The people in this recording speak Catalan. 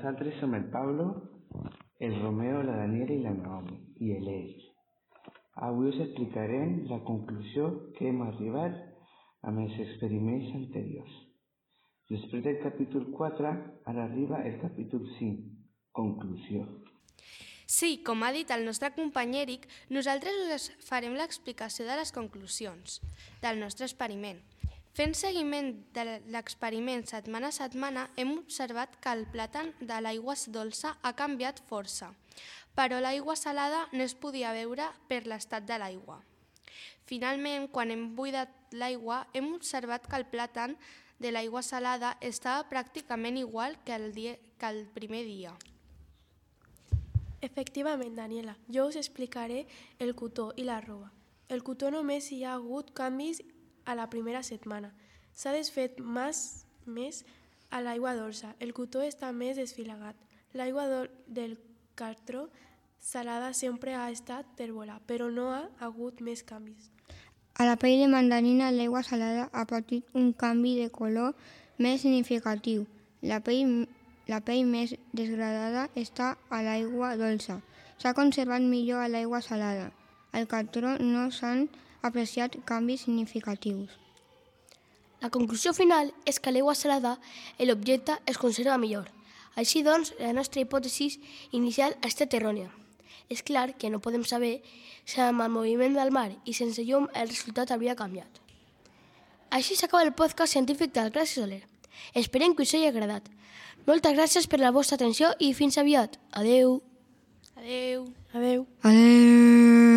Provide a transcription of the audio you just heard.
Nosaltres som el Pablo, el Romeo, la Daniela i la Naomi, i l'Eix. Avui us explicarem la conclusió que hem arribat amb els experiments anteriors. Després del capítol 4, ara arriba el capítol 5, conclusió. Sí, com ha dit el nostre company Eric, nosaltres us farem l'explicació de les conclusions del nostre experiment. Fent seguiment de l'experiment setmana a setmana, hem observat que el plàtan de l'aigua dolça ha canviat força, però l'aigua salada no es podia veure per l'estat de l'aigua. Finalment, quan hem buidat l'aigua, hem observat que el plàtan de l'aigua salada estava pràcticament igual que el primer dia. Efectivament, Daniela, jo us explicaré el cotó i la roba. El cotó només hi ha hagut canvis a la primera setmana. S'ha desfet més a l'aigua dolça. El cotó està més desfilagat. L'aigua del cartró salada sempre ha estat tèrbola, però no ha hagut més canvis. A la pell de mandarina, l'aigua salada ha patit un canvi de color més significatiu. La pell més degradada està a l'aigua dolça. S'ha conservat millor a l'aigua salada. Al cartró no s'han apreciat canvis significatius. La conclusió final és que a l'aigua salada l'objecte es conserva millor. Així doncs, la nostra hipòtesi inicial ha estat errònia. És clar que no podem saber si amb el moviment del mar i sense llum el resultat hauria canviat. Així s'acaba el podcast científic del Classe Soler. Esperem que us hagi agradat. Moltes gràcies per la vostra atenció i fins aviat. Adeu. Adeu. Adeu. Adeu.